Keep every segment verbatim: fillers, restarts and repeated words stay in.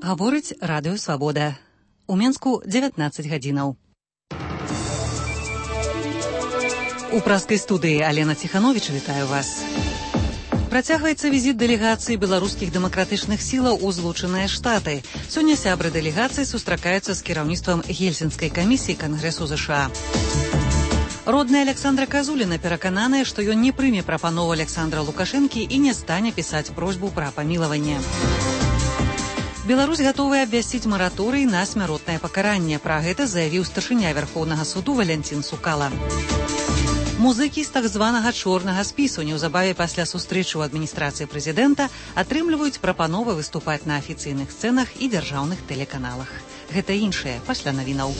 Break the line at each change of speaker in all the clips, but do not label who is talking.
Гаворыць радыё Свабода. У Менску дзевятнаццаць гадзінаў. У праскай студыі Алена Ціхановіч, вітаю вас. Працягваецца візіт дэлегацыі беларускіх дэмакратычных сілаў у Злучаныя Штаты. Сёння сябры дэлегацыі сустракаюцца з кіраўніцтвам Гельсінскай камісіі Кангрэсу ЗША. Родная Александра Казуліна перакананая, што ён не прыме прапанову Александра Лукашэнкі і не стане пісаць просьбу пра памілаванне. Беларусь гатовая абвясціць мараторый на смяротнае пакаранне. Пра гэта заявіў старшыня Вярхоўнага суду Валянцін Сукала. Музыкі з так званага чорнага спісу неўзабаве пасля сустрэчы ў адміністрацыі прэзідэнта атрымліваюць прапановы выступаць на афіцыйных сцэнах і дзяржаўных тэлеканалах. Гэта іншае пасля навінаў.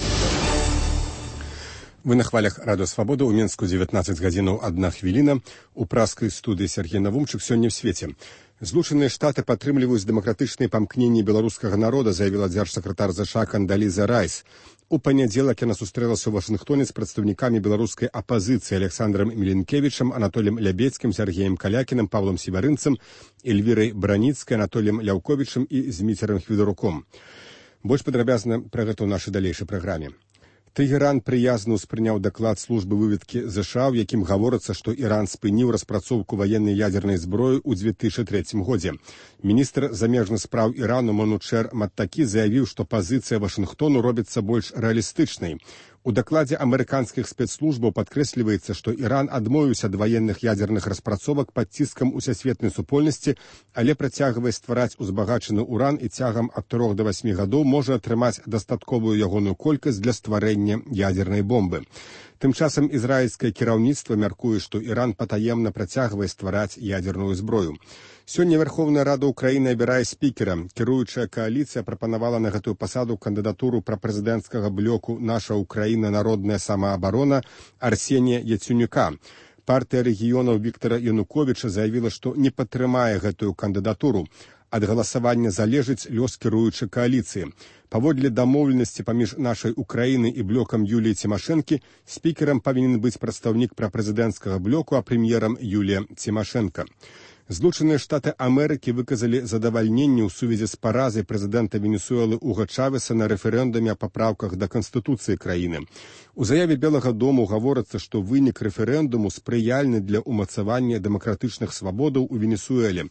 Вы на хвалях радыё Свабода. У Менску дзевятнаццаць гадзінаў адна хвіліна. У праскай студыі Сергей Навумчык. Сёння ў свеце. Злучаныя Штаты падтрымліваюць дэмакратычныя памкненні беларускага народа, заявіла дзяржсакратар ЗША Кандаліза Райс. У панядзелак яна сустрэлася ў Вашынгтоне з прадстаўнікамі беларускай апазіцыі Александрам Міленкевічам, Анатоліем Лябецкім, Сергеем Калякінам, Павлам Сіварынцам, Эльвірай Браніцкай, Анатоліем Ляўковічам і Зміцерам Хвідаруком. Больш падрабязна пра гэта ў нашай далейшай праграме. Тэгеран прыязна ўспрыняў даклад службы выведкі ЗША, у якім гаворыцца, што Іран спыніў распрацоўку ваеннай ядзернай зброі ў дзве тысячы трэцім годзе. Міністр замежных спраў Ірану Манучэр Маттакі заявіў, што пазіцыя Вашынгтону робіцца больш рэалістычнай. У дакладзе амерыканскіх спецслужбаў падкрэсліваецца, што Іран адмовіўся ад ваенных ядзерных распрацовак пад ціскам усесветнай супольнасці, але працягвае ствараць узбагачаны уран і цягам ад трох да васьмі гадоў можа атрымаць дастатковую ягоную колькасць для стварэння ядзернай бомбы. Тым часам ізраільскае кіраўніцтва мяркуе, што Іран патаемна працягвае ствараць ядзерную зброю. Сёння Верховная Рада Украіны абірае спікера. Кіруючая кааліцыя прапанавала на гэтую пасаду кандыдатуру прапрэзідэнцкага блоку «Наша Украіна. Народная самаабарона» Арсенія Яценюка. Партыя рэгіёнаў Віктара Януковіча заявіла, што не падтрымае гэтую кандыдатуру. Ад галасавання залежыць лёс кіруючай кааліцыі. Паводле дамоўленасці паміж нашай Украінай і блокам Юліі Цімашэнкі спікерам павінен быць прадстаўнік прапрэзідэнцкага блоку, а прэм'ерам Юлія Цімашэнка. Злучаныя Штаты Амерыкі выказалі задавальненне ў сувязі з паразай прэзідэнта Венесуэлы Уга Чавеса на рэферэндуме о папраўках да Канстытуцыі краіны. У заяве Белага дому гаворыцца, што вынік рэферэндуму спрыяльны для ўмацавання дэмакратычных свабодаў у Венесуэле.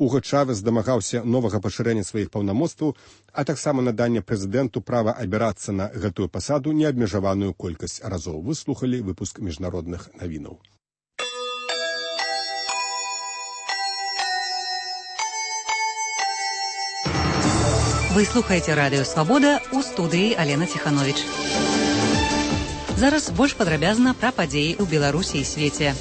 Уга Чавес дамагаўся новага пашырэння сваіх паўнамоцтваў, а таксама надання прэзідэнту права абірацца на гэтую пасаду неабмежаваную колькасць разоў. Вы слухалі выпуск міжнародных навінаў.
Вы слухаеце радыё Свабода, у студыі Алена Ціхановіч. Зараз больш падрабязна пра падзеі ў Беларусі і свеце.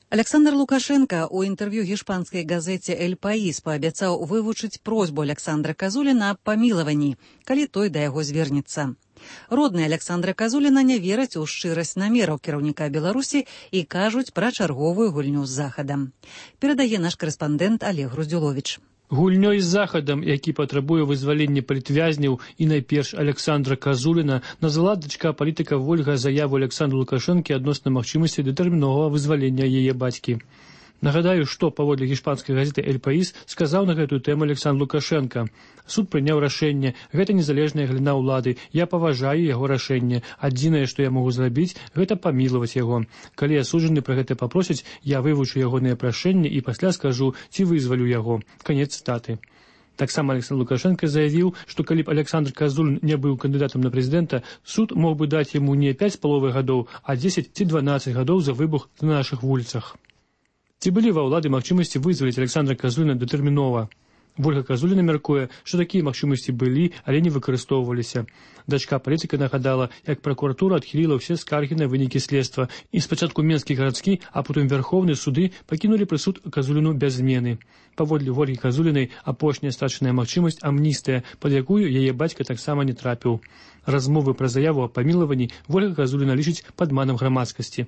Александр Лукашенко у інтэрв'ю гішпанскай газеце «Эль Паís» паабяцаў вывучыць просьбу Александра Казуліна аб памілаванні, калі той да яго звернецца. Родныя Александра Казуліна не вераць у шчырасць намераў кіраўніка Беларусі і кажуць пра чарговую гульню з Захадам. Перадае наш карэспандэнт Олег Груздзюловіч.
Гульнёй з Захадам, які патрабуе вызвалення палітвязняў і найперш Александра Казуліна, назвала дачка палітыка Вольга заяву Александра Лукашэнкі адносна магчымасці дэтэрміновага вызвалення яе бацькі. Нагадаю, што паводле гішпанскай газеты «Эль Паís» сказаў на гэтую тэму Александр Лукашенко. Суд прыняў рашэнне. Гэта незалежная галіна ўлады. Я паважаю яго рашэнне. Адзінае, што я магу зрабіць, гэта памілаваць яго. Калі асуджаны пра гэта папросяць, я вывучу ягоныя прашэнні і пасля скажу, ці вызвалю яго. Канец цытаты. Таксама Александр Лукашенко заявіў, што калі б Александр Казулін не быў кандыдатам на прэзідэнта, суд мог бы даць яму не пяць з паловай гадоў, а дзесяць ці дванаццаць гадоў за выбух на нашых вуліцах. Ці былі ва ўлады магчымасці вызваліць Александра Казуліна дэтэрмінова? Вольга Казуліна мяркуе, што такія магчымасці былі, але не выкарыстоўваліся. Дачка палітыка нагадала, як пракуратура адхіліла ўсе скаргі на вынікі следства, і спачатку Менскі гарадскі, а потым Верховны суды пакінулі прысуд Казуліну без змены. Паводле Вольгі Казулінай апошняя страчаная магчымасць амністыя, пад якую яе бацька таксама не трапіў. Размовы пра заяву о памілаванні Вольга Казуліна лічыць падманам грамадскасці.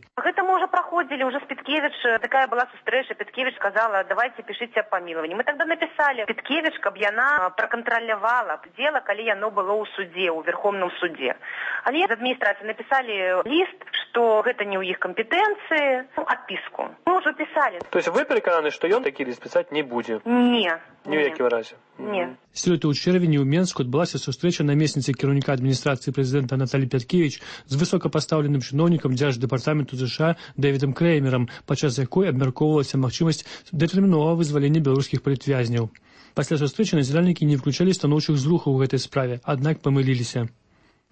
Ходили уже с Петкевич, такая была встреча, Петкевич сказала, давайте пишите о помиловании. Мы тогда написали, Петкевич, каб яна проконтролировала дело, коли яно было у суде, у Верховном суде. Але из администрации написали лист, что это не у их компетенции. Ну, отписку. Мы уже писали.
То есть вы переконаны, что ён такі ліст писать не будет?
Не.
Ні в якім разі?
Ні.
Сёлета ў чэрвені ў Менску адбылася сустрэча намесніцы кіраўніка адміністрацыі прэзідэнта Наталі Пяткевіч з высокапастаўленым чыноўнікам дзярждэпартаменту ЗША Дэвідам Крэймерам, падчас якой абмяркоўвалася магчымасць датэрміновага вызвалення беларускіх палітвязняў. Пасля сустрэчы назіральнікі не выключалі станоўчых зрухаў у гэтай справе, аднак памыліліся.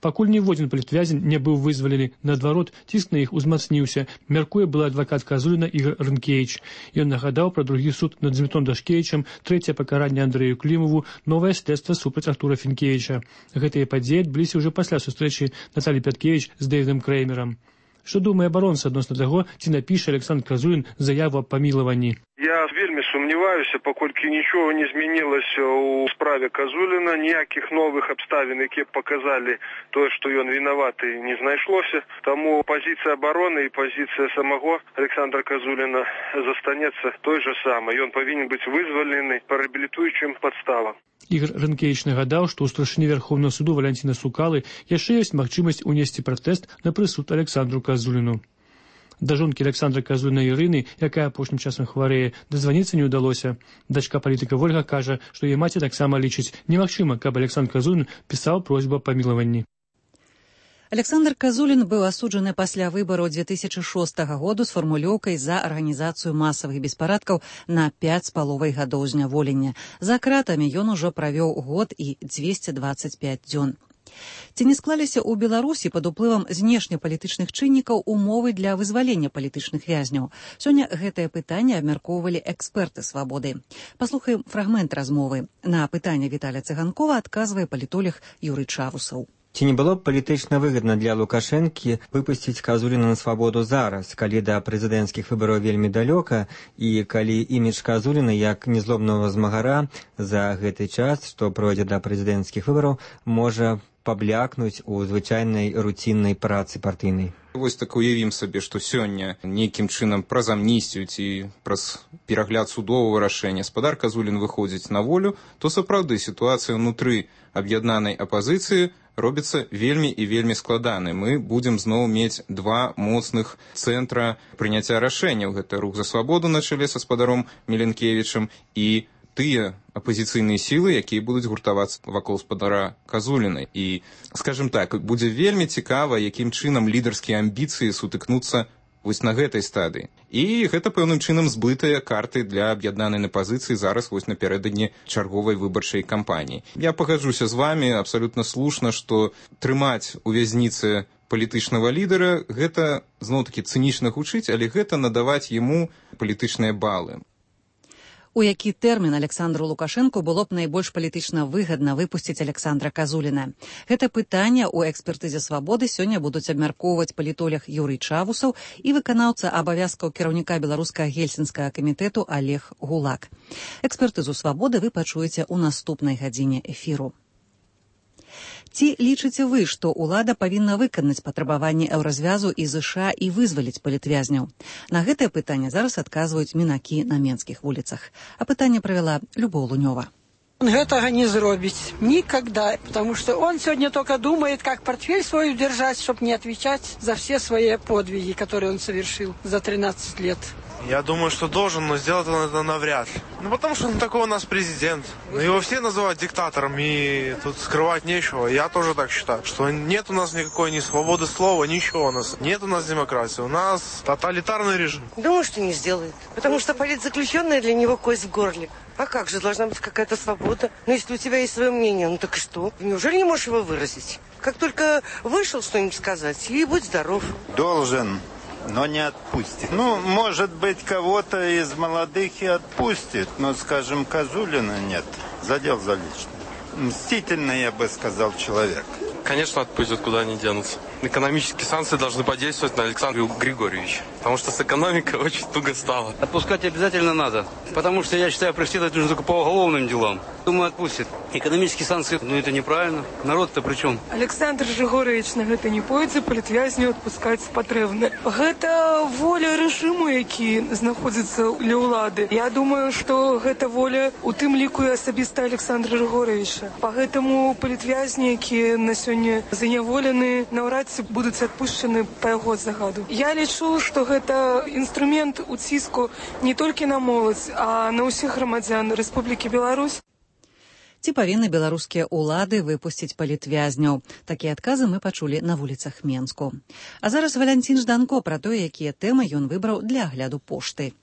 Пакуль ніводзін палітвязень не быў вызвалены, наадварот, ціск на іх узмацніўся, мяркуе былы адвакат Казуліна Ігор Рынкевіч. Ён нагадаў пра другі суд над Змітом Дашкевічам, трэцяе пакаранне Андрэю Клімову, новае следства супраць Артура Фінкевіча. Гэтыя падзеі адбыліся ўжо пасля сустрэчы Наталі Пяткевіч з Дэвідам Крэймерам. Што думае абаронца адносна таго, ці напіша Александр Казулін заяву аб памілаванні?
Я вельмі сумніваюся, паколькі нічого не змянілася ў справе Казуліна, ніякіх новых абставін, які б паказалі тое, што ён вінаваты, не знайшлося. Таму пазіцыя абароны і пазіцыя самого Александра Казуліна застанецца той же самай. Ён павінен быць вызвалены па рэабілітуючым падставам.
Ігор Рынкевіч нагадаў, што ў старшыні Верховнага суду Валянціна Сукалы яшчэ ёсць магчымасць унесці пратэст на прысуд Александру Казуліну. Да жонкі Александра Казуліна Ірыны, якая апошнім часам хварэе, дазваніцца не ўдалося. Дачка палітыка Вольга кажа, што яе маці таксама лічыць немагчыма, каб Александр Казулін пісаў просьбу аб памілаванні.
Александр Казулін быў асуджаны пасля выбараў дзве тысячы шостага году з фармулёўкай за арганізацыю масавых беспарадкаў на пяць з паловай гадоў зняволення. За кратамі ён ужо правёў год і дзвесце дваццаць пяць дзён. Ці не склаліся ў Беларусі пад уплывам знешнепалітычных чыннікаў умовы для вызвалення палітычных вязняў? Сёння гэтае пытанне абмяркоўвалі эксперты свабоды. Паслухаем фрагмент размовы. На пытанне Віталя Цыганкова адказвае палітолог Юрый Чавусаў.
Ці не было б палітычна выгадна для Лукашэнкі выпусціць Казуліна на свабоду зараз, калі да прэзідэнцкіх выбараў вельмі далёка і калі імідж Казуліна як незлобнага змагара за гэты час, што пройдзе да прэзідэнцкіх выбараў, можа паблякнуць у звычайнай руціннай працы партыйнай.
Вось так уявім сабе, што сёння нейкім чынам праз амністыю ці праз перагляд судовага рашэння спадар Казулін выходзіць на волю, то сапраўды сітуацыя ўнутры аб'яднанай апазіцыі робіцца вельмі і вельмі складаны. Мы будзем зноў мець два моцных цэнтра прыняцця рашэнняў. Гэта рух за свабоду на чале са спадаром Меленкевічам і тыя апазіцыйныя сілы, якія будуць гуртавацца вакол спадара Казуліна. І, скажем так, будзе вельмі цікава, якім чынам лідарскія амбіцыі сутыкнуцца вось на гэтай стадыі. І гэта пэўным чынам збытыя карты для аб'яднанай пазіцыі зараз вось напярэдадні чарговай выбарчай кампаніі. Я пагаджуся з вамі абсалютна слушна, што трымаць у вязніцы палітычнага лідара гэта зноў-такі цынічна гучыць, але гэта надаваць яму палітычныя балы.
У які тэрмін Александру Лукашэнку было б найбольш палітычна выгадна выпусціць Александра Казуліна? Гэта пытанне ў экспертызе свабоды сёння будуць абмяркоўваць палітолог Юрый Чавусаў і выканаўца абавязкаў кіраўніка беларускага гельсінскага камітэту Олег Гулак. Экспертызу свабоды вы пачуеце ў наступнай гадзіне эфіру. Ці лічыце вы, што ўлада павінна выканаць патрабаванні еўразвязу і ЗША і вызваліць палітвязняў? На гэтае пытанне зараз адказваюць мінакі на менскіх вуліцах. А пытанне правяла Любоў Лунёва.
Он гэтага не зробіць никогда, потому что он сегодня только думает, как портфель свой удержать, чтобы не отвечать за все свои подвиги, которые он совершил за тринадцать лет.
Я думаю, что должен, но сделать он это навряд ли. Ну, потому что он такой у нас президент. Его все называют диктатором, и тут скрывать нечего. Я тоже так считаю, что нет у нас никакой ни свободы слова, ничего у нас. Нет у нас демократии, у нас тоталитарный режим.
Думаю, что не сделает. Потому что политзаключенная для него кость в горле. А как же, должна быть какая-то свобода? Ну, если у тебя есть свое мнение, ну так и что? Неужели не можешь его выразить? Как только вышел что-нибудь сказать, и будь здоров.
Должен, но не отпустит. Ну, может быть, кого-то из молодых и отпустит, но, скажем, Казулина нет. Задел за личное. Мстительный, я бы сказал, человек.
Конечно, отпустят, куда они денутся. Экономические санкции должны подействовать на Александра Григорьевича. потому что с экономикой очень туго стало.
Отпускать обязательно надо, потому что, я считаю, преследовать нужно только по уголовным делам. Думаю, отпустит. Экономические санкции, ну это неправильно. Народ-то при чем?
Александр Жигорович на гэта не пойдзе, палітвязню адпускаць патрэбна. Гэта воля рэжыму, які знаходзіцца ля ўлады. Я думаю, што гэта воля у тым ліку і асабіста Александра Жигоровича. Па гэтаму палітвязні, якія на сёння заняволены, наўрад ці будуць адпушчаны па яго загаду. Я лічу, што гэта інструмент уціску не толькі на моладзь, а на ўсіх грамадзян Рэспублікі Беларусь.
Ці павінны беларускія ўлады выпусціць палітвязняў? Такія адказы мы пачулі на вуліцах Менску. А зараз Валянцін Жданко пра тое, якія тэмы ён выбраў для агляду пошты.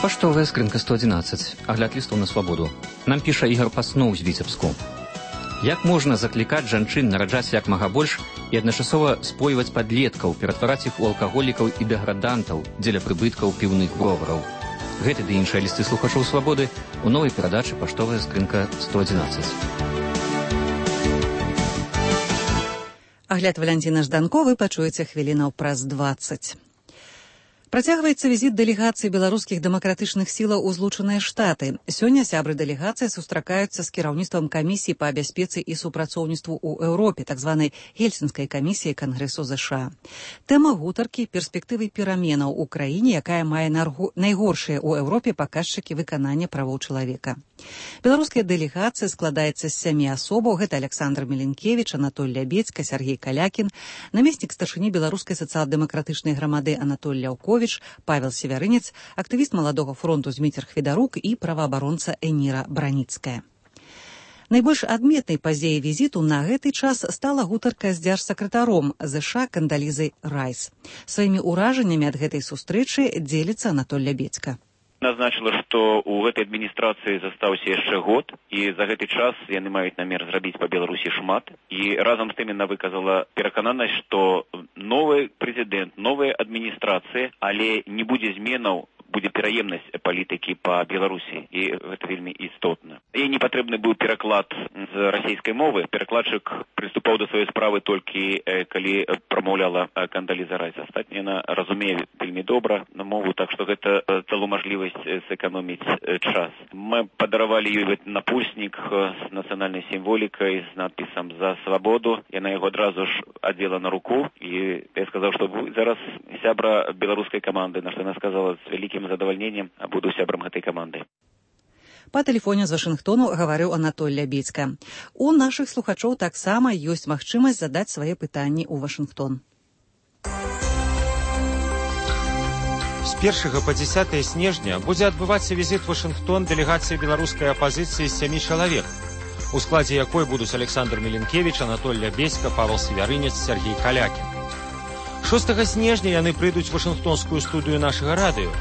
Паштовая скрынка сто адзінаццаць. Агляд лістаў на свабоду. Нам піша Ігор Пасноў з Віцебску. Як можна заклікаць жанчын нараджаць як мага больш і адначасова спойваць падлеткаў, ператвараць іх у алкаголікаў і дэградантаў дзеля прыбыткаў піўных бровараў? Гэты ды іншыя лісты слухачоў свабоды у новай перадачы «Паштовая скрынка сто адзінаццаць».
Агляд Валянціна Жданко вы пачуеце хвілінаў праз дваццаць. Працягваецца візіт дэлегацыі беларускіх дэмакратычных сілаў у Злучаныя Штаты. Сёння сябры дэлегацыі сустракаюцца з кіраўніцтвам камісіі па бяспецы і супрацоўніцтву ў Еўропе, так званай Гельсінскай камісіі Кангрэсу ЗША. Тэма гутаркі перспектывы пераменаў у краіне, якая мае найгоршыя ў Еўропе паказчыкі выканання правоў чалавека. Беларуская дэлегацыя складаецца з сямі асобаў. Гэта Александр Меленкевич, Анатоль Лябедзька, Сергей Калякін, намеснік старшыні беларускай сацыял-дэмакратычнай грамады Анатоль Ляўковіч, Павел Севярынец, актывіст Маладога фронту Зміцер Хведарук і праваабаронца Эніра Браніцкая. Найбольш адметнай падзеяй візіту на гэты час стала гутарка з дзяржсакратаром ЗША Кандалізай Райс. Сваімі ўражаннямі ад гэтай сустрэчы дзеліцца Анатоль Лябедзька.
Назначила, што ў гэтай адміністрацыі застаўся яшчэ год, і за гэты час яны маюць намер зрабіць па Беларусі шмат. І разам з тым яна выказала перакананасць, што новы прэзідэнт, новая адміністрацыя, але не будзе зменаў, будзе пераемнасць палітыкі па Беларусі, і гэта вельмі істотна. Ей не патрэбны быў пераклад з расійскай мовы. Перакладчык прыступаў да сваёй справы толькі калі прамаўляла Кандаліза Райс. Астатняе яна разумее вельмі добра на мову, так што гэта дало мажлівасць сэканоміць час. Мы падаравалі ёй напульснік з нацыянальнай сімволікай, з надпісам «За свабоду». Яна яго адразу ж адзела на руку, і я сказаў, што вы зараз сябра беларускай каманды, на што яна сказала з вялікім задавальненнем, буду сябрам гэтай каманды.
Па тэлефоне з Вашынгтону гаварыў Анатоль Лябедзька. У нашых слухачоў таксама ёсць магчымасць задаць свае пытанні ў Вашынгтон.
З першага па дзесятае снежня будзе адбывацца візіт у Вашынгтон дэлегацыі беларускай апазіцыі з сямі чалавек, у складзе якой будуць Александр Меленкевич, Анатоль Лябедзька, Павел Севярынец, Сергей Калякін. шостага снежня яны прыйдуць у Вашынгтонскую студыю нашага радыё,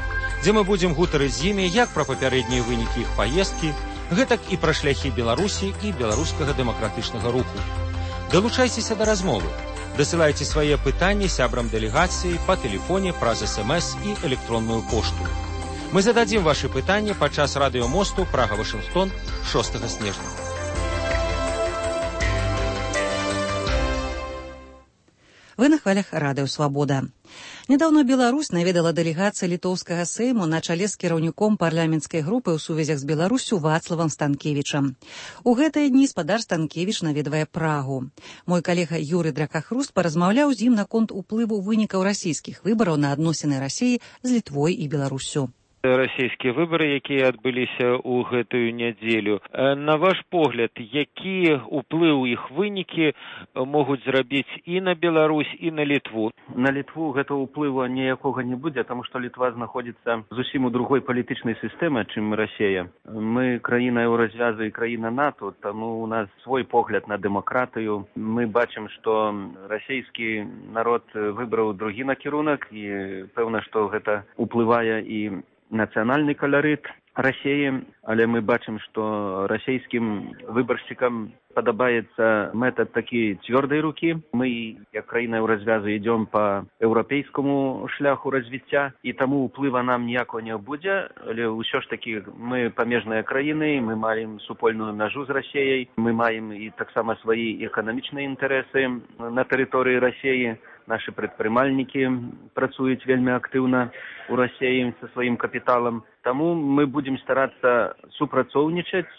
дзе мы будзем гутарыць з імі як пра папярэднія вынікі іх паездкі, гэтак і пра шляхі Беларусі і беларускага дэмакратычнага руху. Далучайцеся да размовы. Дасылайце свае пытанні сябрам дэлегацыі па тэлефоне праз эс эм эс і электронную пошту. Мы зададзім вашы пытанні падчас радыёмосту Прага-Вашынгтон шостага снежня.
Вы на хвалях радыё «Свабода». Нядаўна Беларусь наведала дэлегацыя літоўскага сейму на чале з кіраўніком парламенцкай групы ў сувязях з Беларуссю Вацлавам Станкевічам. У гэтыя дні спадар Станкевіч наведвае Прагу. Мой калега Юрый Дракахруст паразмаўляў з ім наконт уплыву вынікаў расійскіх выбараў на адносіны Расіі з Літвой і Беларуссю.
Расійскія выбары, якія адбыліся ў гэтую нядзелю. На ваш погляд, які ўплыў іх вынікі могуць зрабіць і на Беларусь, і на Літву?
На Літву гэтага ўплыву ніякога не будзе, таму што Літва знаходзіцца зусім у другой палітычнай сістэме, чым Расія. Мы краіна еўразвязу і краіна НАТО, таму у нас свой погляд на дэмакратыю. Мы бачым, што расійскі народ выбраў другі накірунак, і пэўна, што гэта ўплывае і нацыянальны каларыт. Рассіі, але мы бачым, што расійскім выбаршчыкам падабаецца метад такі цвёрдай рукі. Мы, як краіна еўразвязу, ідём па еўрапейскаму шляху развіцця, і таму ўплыва нам ніякого не будзе, але ўсё ж такі мы памежныя краіны, мы маем супольную мяжу з Расіяй, мы маем і таксама свае эканамічныя інтарэсы на тэрыторыі Расіі. Нашы прадпрымальнікі працуюць вельмі актыўна ў Расіі са сваім капіталам. Таму мы будзем старацца супрацоўнічаць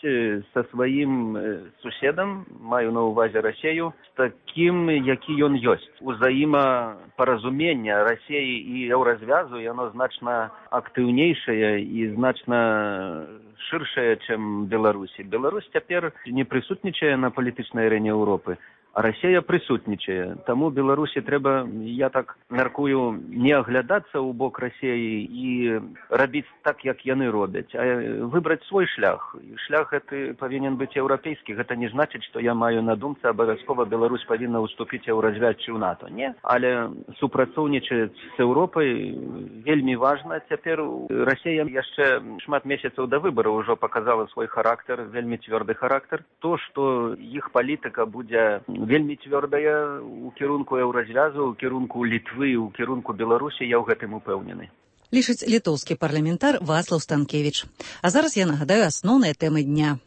са сваім суседам, маю на ўвазе Расію, з такім, які ён ёсць. Узаемапаразуменне Расіі і еўразвязу, яно значна актыўнейшае і значна шыршае, чым Беларусі. Беларусь цяпер не прысутнічае на палітычнай арэне Еўропы, а Расія прысутнічае. Таму Беларусі трэба, я так мяркую, не аглядацца ў бок Расіі і рабіць так, як яны робяць, а выбраць свой шлях. Шлях гэты павінен быць еўрапейскі. Гэта не значыць, што я маю на думцы абавязкова Беларусь павінна ўступіць еўразвяз ці ў НАТО. Не, але супрацоўнічаць з Еўропай вельмі важна. Цяпер Расія яшчэ шмат месяцаў да выбараў ужо паказала свой характар, вельмі цвёрды характар. То, што іх палітыка будзе вельмі цвёрдая ў кірунку еўразвязу, ў кірунку Літвы, ў кірунку Беларусі, я ў гэтым упэўнены.
Лічыць літоўскі парламентар Вацлаў Станкевіч. А зараз я нагадаю асноўныя тэмы дня.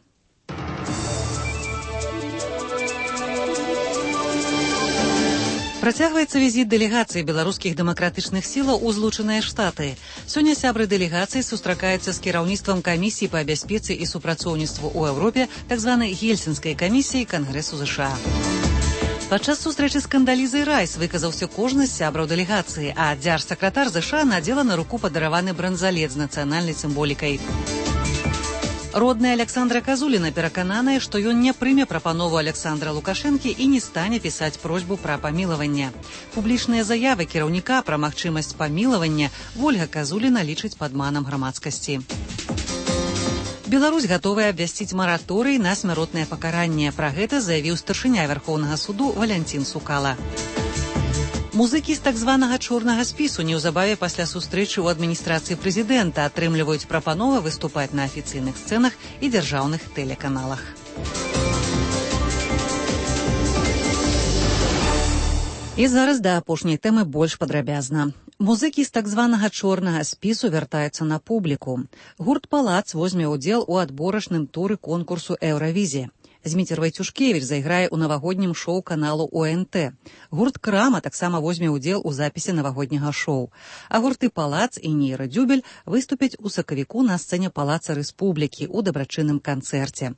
Працягваецца візіт дэлегацыі беларускіх дэмакратычных сілаў у Злучаныя Штаты. Сёння сябры дэлегацыі сустракаюцца з кіраўніцтвам камісіі па бяспецы і супрацоўніцтву ў Еўропе, так званай Гельсінскай камісіі Кангрэсу ЗША. Падчас сустрэчы з Кандалізай Райс выказаўся кожны з сябраў дэлегацыі, а дзяржсакратар ЗША надзела на руку падараваны бранзалет з нацыянальнай сімволікай. Родная Александра Казуліна перакананая, што ён не прыме прапанову Александра Лукашэнкі і не стане пісаць просьбу пра памілаванне. Публічныя заявы кіраўніка пра магчымасць памілавання Вольга Казуліна лічыць падманам грамадскасці. Беларусь гатовая абвясціць мараторый на смяротнае пакаранне. Пра гэта заявіў старшыня Вярхоўнага суду Валянцін Сукала. Музыкі з так званага чорнага спісу неўзабаве пасля сустрэчы ў адміністрацыі прэзідэнта атрымліваюць прапановы выступаць на афіцыйных сцэнах і дзяржаўных тэлеканалах. І зараз да апошняй тэмы больш падрабязна. Музыкі з так званага чорнага спісу вяртаюцца на публіку. Гурт «Палац» возьме ўдзел у адборачным туры конкурсу «Еўравізія». Зміцер Вайцюшкевіч зайграе ў навагоднім шоу каналу О Н Т. Гурт «Крама» таксама возьме ўдзел у запісе навагодняга шоу. А гурты «Палац» і «Нейра Дзюбель» выступяць у сакавіку на сцэне Палаца Рэспублікі ў дабрачынным канцэрце.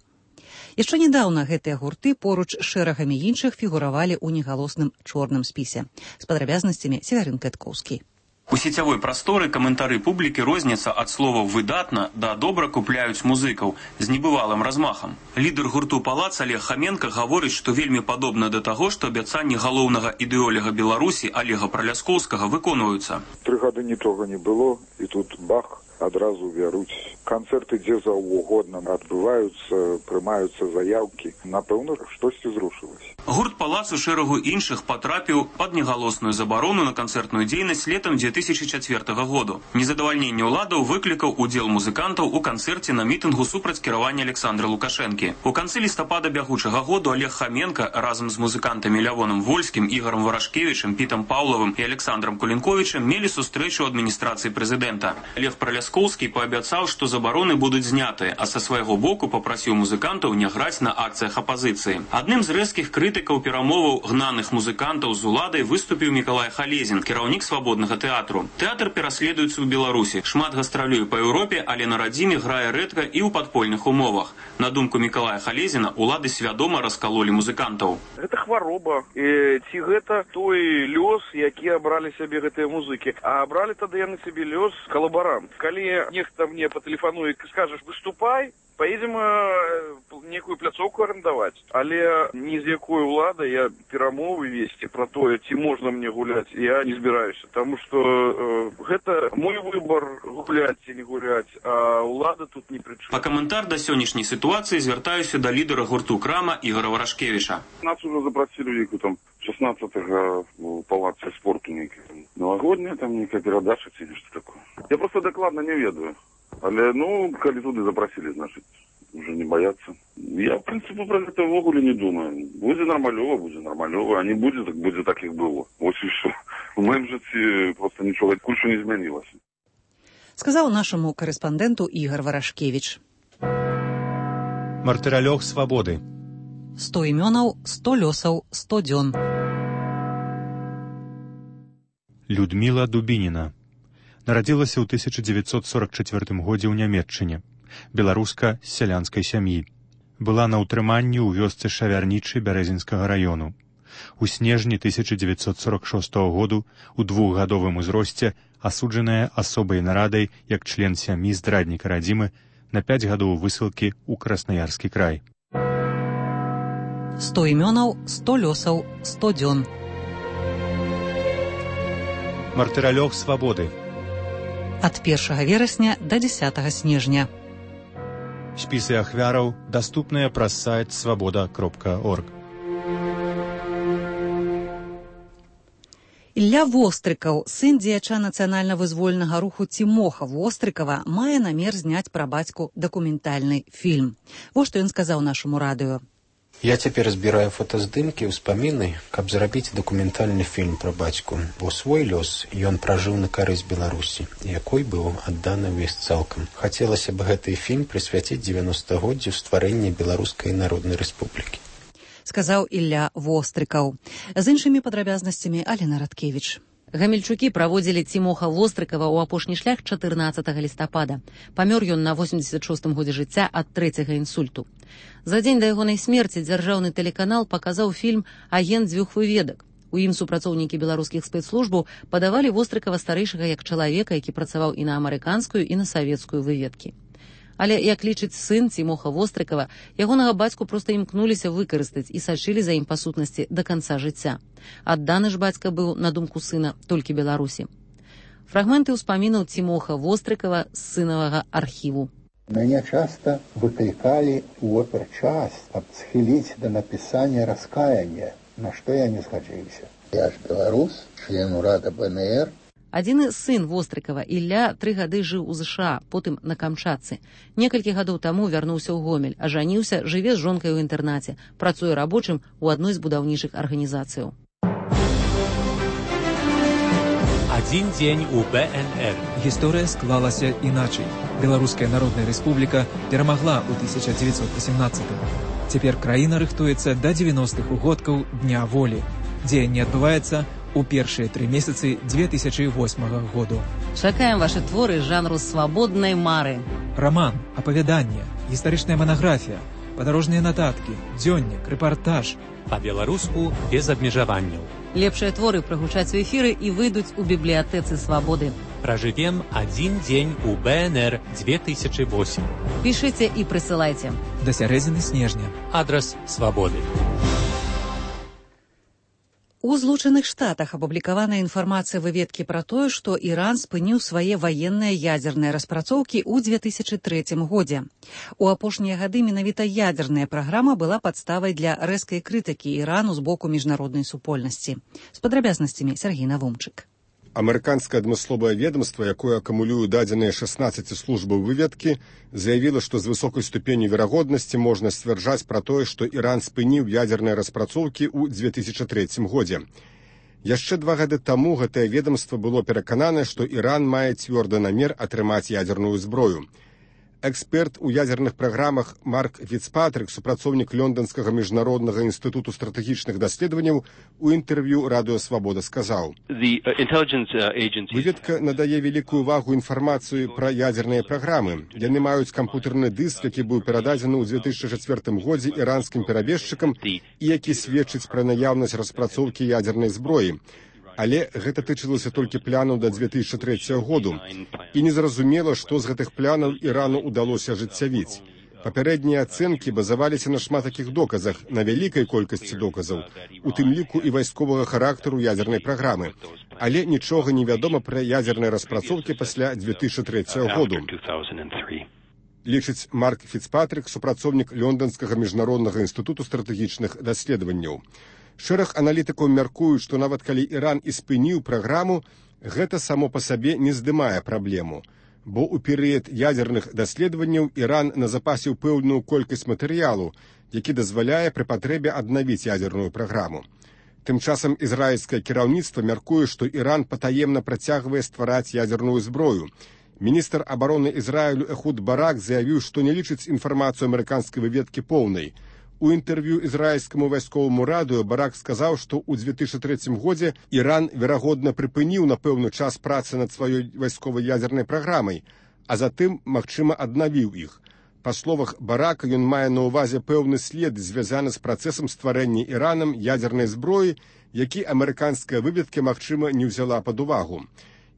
Яшчэ нядаўна гэтыя гурты поруч з шэрагамі іншых фігуравалі ў негалосным чорным спісе. З падрабязнасцямі Северин Кэткоўскі.
У сетявой прасторы каментары публікі розняцца ад словаў «выдатна» да «добра купляюць музыкаў» з небывалым размахам. Лідар гурту «Палац» Олег Хаменка гаворыць, што вельмі падобна да таго, што абяцанні галоўнага ідэолага Беларусі Олега Праляскоўскага выконваюцца.
Тры гады нічога не было, і тут бах, адразу вяруць. Канцэрты дзе заўгодна адбываюцца, прымаюцца заяўкі. Напэўна, штосьці зрушылася.
Гурт «Палац» у шэрагу іншых патрапіў пад негалосную забарону на канцэртную дзейнасць летам две тысячи чацвёртага году. Незадавальненне ўладаў выклікаў удзел музыкантаў у канцэрце на мітынгу супраць кіравання Александра Лукашэнкі. У канцы лістапада бягучага году Олег Хаменка разам з музыкантамі Лявоном Вольскім, Ігорам Варашкевічым, Пітам Паўлавым і Александрам Кулінковічым мелі сустрэчу ў адміністрацыі прэзідэнта. Лев Праляскоўскі паабяцаў, што забароны будуць знятыя, а са свайго боку папрасіў музыкантаў не граць на акцыях апазіцыі. Адным з рэзкіх крытыкаў перамоваў гнаных музыкантаў з уладай выступіў Мікалай Халезін, кіраўнік свабоднага тэатру. Тэатр пераследуецца ў Беларусі. Шмат гастралюе па Еўропе, але на радзіме грае рэдка і ў падпольных умовах. На думку Мікалая Халезіна, улады свядома раскалолі музыкантаў.
Гэта хвароба. І ці гэта той лёс, які абралі сябе гэтыя музыкі. А абралі тады яны сябе лёс калабарант. Калі нехта мне патэлефануе і скажаш «выступай», поедем некую пляцоўку арендаваць. Але ні з якой улады я перамовы весці пра тое, ці можна мне гуляць, я не збіраюся. Таму што э, гэта мой выбор гуляць ці не гуляць, а улада тут не пры чым.
Па каментар да сённяшняй сітуацыі звяртаюся да лідара гурту «Крама» Ігора Варашкевіча.
Нас уже запросили нейку там шестнадцатого в палаце спорту нейкі. Новогодняя там нейкая перадача ці нешта такое. Я просто дакладна не ведаю. Але, ну, калі туды запросили, значит, уже не бояться. Я, в принципе, про это в огуле не думаю. Будет нормалево, будет нормалево, а не будет, так будет так, как было. Вот и все. В моем житті просто нічого кучу не змінилося.
Сказав нашому кореспонденту Ігор Варашкевич.
Мартыралёг свабоды.
Сто імёнаў, сто лёсаў, сто дзён.
Людміла Дубініна. Нарадзілася ў тысяча дзевяцьсот сорок чацвёртым годзе ў Нямецчыне. Беларуска з сялянскай сям'і. Была на ўтрыманні ў вёсцы Шавярнічы Бярэзінскага раёну. У снежні тысяча дзевяцьсот сорок шостага году у двухгадовым узросце асуджаная асобай нарадай як член сям'і здрадніка радзімы на пяць гадоў высылкі ў Краснаярскі край.
Сто імёнаў, сто лёсаў, сто дзён.
Мартыралёг свабоды.
Ад першага верасня да дзесятага снежня.
Спісы ахвяраў даступныя праз сайт свабода кропка орг.
Ілля Вострыкаў, сын дзеяча нацыянальна-вызвольнага руху Цімоха Вострыкава, мае намер зняць пра бацьку дакументальны фільм. Вось што ён сказаў нашаму радыё.
Я цяпер збіраю фотаздымкі, ўспаміны, каб зрабіць дакументальны фільм пра бацьку, бо свой лёс ён пражыў на карысць Беларусі, якой быў адданы ўвесь цалкам. Хацелася б гэты фільм прысвяціць дзевяностагоддзю стварэння Беларускай Народнай Рэспублікі.
Сказаў Ілля Вострыкаў. З іншымі падрабязнасцямі Алена Радкевіч.
Гамельчукі праводзілі Цімоха Вострыкава ў апошні шлях чатырнаццатага лістапада. Памёр ён на восемдзесят шостым годзе жыцця ад трэцяга інсульту. За дзень да ягонай смерці дзяржаўны тэлеканал паказаў фільм «Агент дзвюх выведак». У ім супрацоўнікі беларускіх спецслужбаў падавалі Вострыкава старэйшага як чалавека, які працаваў і на амерыканскую, і на савецкую выведкі. Але, як лічыць сын Цімоха Вострыкава, ягонага бацьку проста імкнуліся выкарыстаць і сачылі за ім па сутнасці да канца жыцця. Адданы ж бацька быў, на думку сына, толькі Беларусі. Фрагменты ўспамінаў Цімоха Вострыкава з сынавага архіву.
Мяне часта выклікалі ў оперчас, каб схіліць да напісання раскаяння, на што я не згаджыўся. Я ж беларус, член урада бэ эн ер.
Адзіны сын Вострыкава, Ілля, тры гады жыў у ЗША, потым на Камчатцы. Некалькі гадоў таму вярнуўся ў Гомель, ажаніўся, жыве з жонкай у інтэрнаце, працуе рабочым у адной з будаўнічых арганізацыяў.
Адзін дзень у бэ эн ер. Гісторыя склалася іначай. Беларуская Народная Рэспубліка перамагла ў тысяча дзевяцьсот васемнаццатым. Цяпер краіна рыхтуецца да дзевяностых угодкаў Дня волі. Дзеянне адбываецца у першыя тры месяцы дзве тысячы восьмага году.
Чакаем вашы творы жанру свабоднай мары.
Раман, апавяданне, гістарычная манаграфія, падарожныя нататкі, дзённік, рэпартаж. Па-беларуску без абмежаванняў.
Лепшыя творы прагучаць у эфіры і выйдуць у бібліятэцы свабоды.
Пражывем адзін дзень у бэ эн ер дзве тысячы восьмы.
Пішыце і прысылайце.
Да сярэдзіны снежня. Адрас свабоды.
У Злучаных Штатах апублікаваная інфармацыя выведкі пра тое, што Іран спыніў свае ваенныя ядзерныя распрацоўкі ў дзве тысячы трэцім годзе. У апошнія гады менавіта ядзерная праграма была падставай для рэзкай крытыкі Ірану з боку міжнароднай супольнасці. З падрабязнасцямі Сергей Навумчык.
Амерыканскае адмысловае ведомства, якое акумулюе дадзеныя шаснаццаці службаў выведкі, заявіла, што з высокай ступенню верагоднасці можна сцвярджаць пра тое, што Іран спыніў ядзерныя распрацоўкі ў дзве тысячы трэцім годзе. Яшчэ два гады таму гэтае ведомства было пераканана, што Іран мае цвёрды намер атрымаць ядзерную зброю. Эксперт у ядзерных праграмах Марк Фіцпатрык, супрацоўнік Лонданскага міжнароднага інстытуту стратэгічных даследаванняў, у інтэрв'ю Радыё Свабода сказаў: «Выведка надае вялікую ўвагу інфармацыю пра ядзерныя праграмы. Яны маюць кампутэрны дыск, які быў перададзены ў дзве тысячы чацвёртым годзе іранскім перабежчыкам і які сведчыць пра наяўнасць распрацоўкі ядзернай зброі. Але гэта тычылася толькі планаў да дзве тысячы трэцяга году. І незразумела, што з гэтых планаў Ірану ўдалося ажыццявіць. Папярэднія ацэнкі базаваліся на шмат такіх доказах, на вялікай колькасці доказаў, у тым ліку і вайсковага характару ядзернай праграмы. Але нічога не вядома пра ядзерныя распрацоўкі пасля дзве тысячы трэцяга году. Лічыць Марк Фіцпатрык, супрацоўнік Лонданскага міжнароднага інстытуту стратэгічных даследаванняў. Шэраг аналітыкаў мяркуюць, што нават калі Іран і спыніў праграму, гэта само па сабе не здымае праблему. бо ў перыяд ядзерных даследаванняў Іран назапасіў пэўную колькасць матэрыялу, які дазваляе пры патрэбе аднавіць ядзерную праграму. Тым часам ізраільскае кіраўніцтва мяркуе, што Іран патаемна працягвае ствараць ядзерную зброю. Міністр абароны Ізраілю Эхуд Барак заявіў, што не лічыць інфармацыю амерыканскай выведкі поўнай. У інтэрв'ю ізраільскаму вайсковаму радыё Барак сказаў, што ў дзве тысячы трэцім годзе Іран, верагодна, прыпыніў на пэўны час працы над сваёй вайсковай ядзернай праграмай, а затым, магчыма, аднавіў іх. Па словах Барака, ён мае на ўвазе пэўны след, звязаны з працэсам стварэння Іранам ядзернай зброі, які амерыканская выведка, магчыма, не ўзяла пад увагу.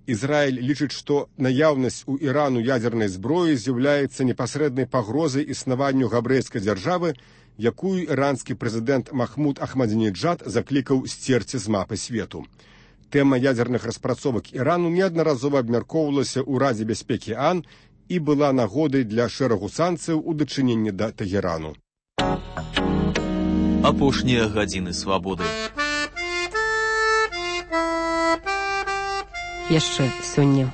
Ізраіль лічыць, што наяўнасць у Ірану ядзернай зброі з'яўляецца непасрэднай пагрозай існаванню габрэйскай дзяржавы, якую іранскі прэзідэнт Махмуд Ахмадзінеджад заклікаў сцерці з мапы свету. Тэма ядзерных распрацовак Ірану неаднаразова абмяркоўвалася ў Радзе бяспекі АН і была нагодай для шэрагу санкцыяў у дачыненні да Тэгерану.
Апошнія гадзіны свабоды.
Яшчэ сёння.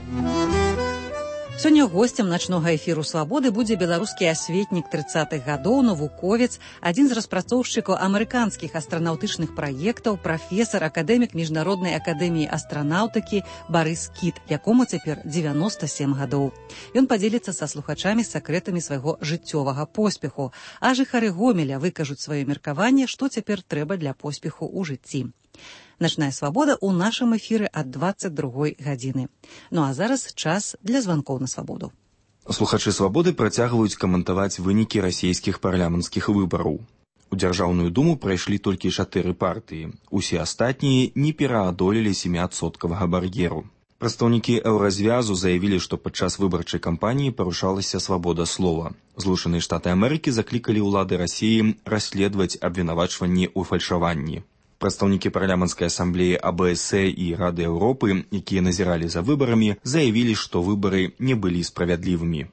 Сёння госцем начнога эфіру «Свабоды» будзе беларускі асветнік трыццатых гадоў, навуковец, адзін з распрацоўшчыкаў амерыканскіх астранаўтычных праектаў, прафесар, акадэмік Міжнароднай акадэміі астранаўтыкі Барыс Кіт, якому цяпер дзевяноста сем гадоў. Ён падзеліцца са слухачамі сакрэтамі свайго жыццёвага поспеху, а жыхары Гомеля выкажуць сваё меркаванне, што цяпер трэба для поспеху ў жыцці. Начная свабода ў нашым эфіры ад дваццаць другой гадзіны. Ну а зараз час для званкоў на свабоду.
Слухачы свабоды працягваюць каментаваць вынікі расійскіх парламенцкіх выбараў. У Дзяржаўную думу прайшлі толькі чатыры партыі. Усе астатнія не пераадолелі сяміадсоткавага бар'еру. Прадстаўнікі еўразвязу заявілі, што падчас выбарчай кампаніі парушалася свабода слова. Злучаныя Штаты Амерыкі заклікалі ўлады Расіі расследаваць абвінавачванні ў фальшаванні. Прадстаўнікі парламенцкай асамблеі АБС і Рады Еўропы, якія назіралі за выбарамі, заявілі, што выбары не были справедливыми.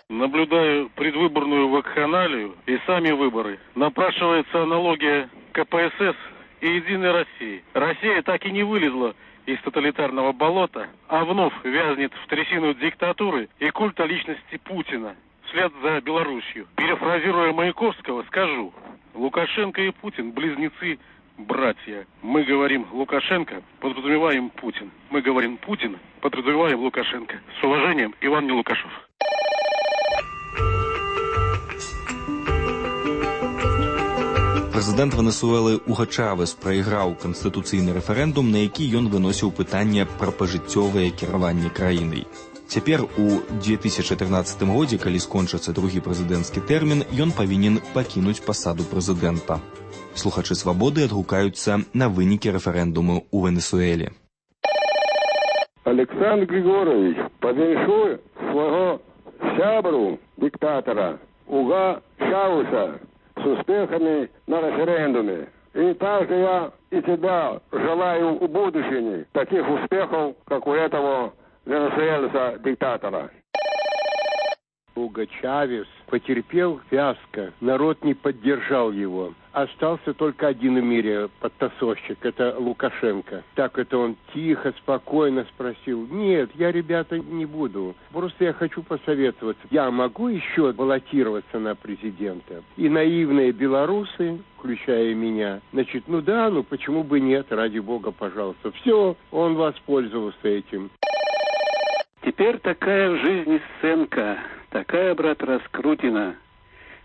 Наблюдаю предвыборную вакханалию и сами выборы. Напрашивается аналогия КПСС и Единой России. Россия так и не вылезла из тоталитарного болота, а вновь вязнет в трясину диктатуры и культа личности Путина вслед за Белоруссию. Перефразируя Маяковского, скажу: Лукашенко и Путин – близнецы, братья. Мы говорим Лукашенко, подразумеваем Путин. Мы говорим Путин, подразумеваем Лукашенко. С уважением, Иван Нелукашев.
Прэзідэнт Венесуэлы Уго Чавес прайграў канстытуцыйны рэферэндум, на які ён выносіў пытанне пра пажыццёвае кіраванне краінай. Цяпер у две тысячы трынаццатым годзе, калі скончыцца другі прэзідэнцкі тэрмін, ён павінен пакінуць пасаду прэзідэнта. Слухачы свабоды адгукаюцца на вынікі рэферэндуму ў Венесуэле.
Александр Григорович павіншуе свайго сябру диктатора Уго Чавеса с успехами на референдуме. И также я и тебя желаю в будущем таких успехов, как у этого венесуэльца-диктатора.
Уго Чавес потерпел фиаско, народ не поддержал его. Остался только один в мире подтасовщик, это Лукашенко. Так это он тихо, спокойно спросил: нет, я, ребята, не буду. Просто я хочу посоветоваться. Я могу еще баллотироваться на президента? И наивные белорусы, включая меня, значит, ну да, ну почему бы нет, ради бога, пожалуйста. Все, он воспользовался этим.
Теперь такая в жизни сценка, такая, брат, раскрутина.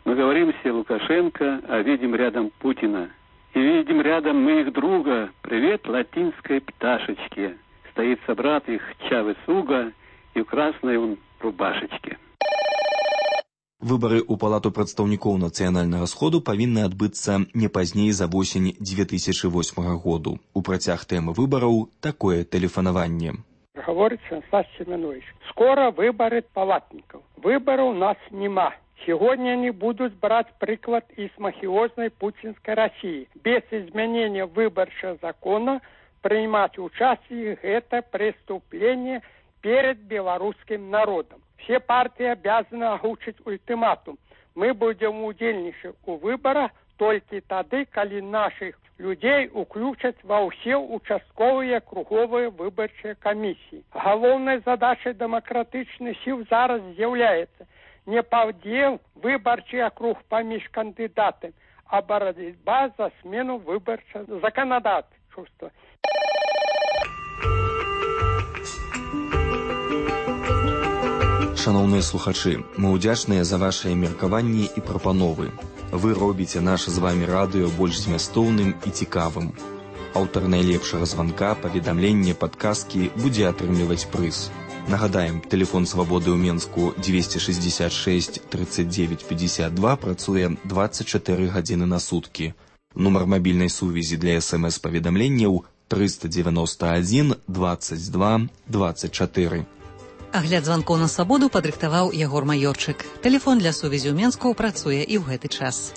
Мы говорим все Лукашенко, а видим рядом Путина. И видим рядом мы их друга. Привет латинской пташечке. Стоит собрат их Чавес Уго и в красной он рубашечке.
Выбары ў палату прадстаўнікоў нацыянальнага сходу павінны адбыцца не пазней за восень две тысячи восьмага году. У працяг тэмы выбараў такое тэлефанаванне.
Говорит Станислав Семенович, скоро выборы палатников. Выбора у нас нема. Сегодня они будут брать приклад из мафиозной путинской России. Без изменения выборчего закона принимать участие – это преступление перед белорусским народом. Все партии обязаны озвучить ультиматум. Мы будем удельничать у выбора толькі тады, калі нашых людзей уключаць ва ўсе участковыя круговыя выбарчыя камісіі. Галоўнай задачай дэмакратычных сіл зараз з'яўляецца не падзел выбарчы акруг паміж кандыдатамі, а барацьба за смену выбарчага заканадаўства.
Шановныя слухачы, мы ўдзячныя за вашыя меркаванні і прапановы. Вы робіце наше з вамі радыё больш змястоўным і цікавым. Аўтар найлепшага званка, паведамлення, падказкі будзе атрымліваць прыз. Нагадаем, тэлефон свабоды ў Менску дзвесце шэсцьдзесят шэсць тридцать девять пятьдесят два працуе двадцать чатыры гадзіны на суткі. Нумар мабільнай сувязі для эс эм эс-паведамленняў триста девяносто один двадцать два двадцать четыре.
Агляд званкоў на свабоду падрыхтаваў Ягор Маёрчык. Тэлефон для сувязі ў Менску працуе і ў гэты час.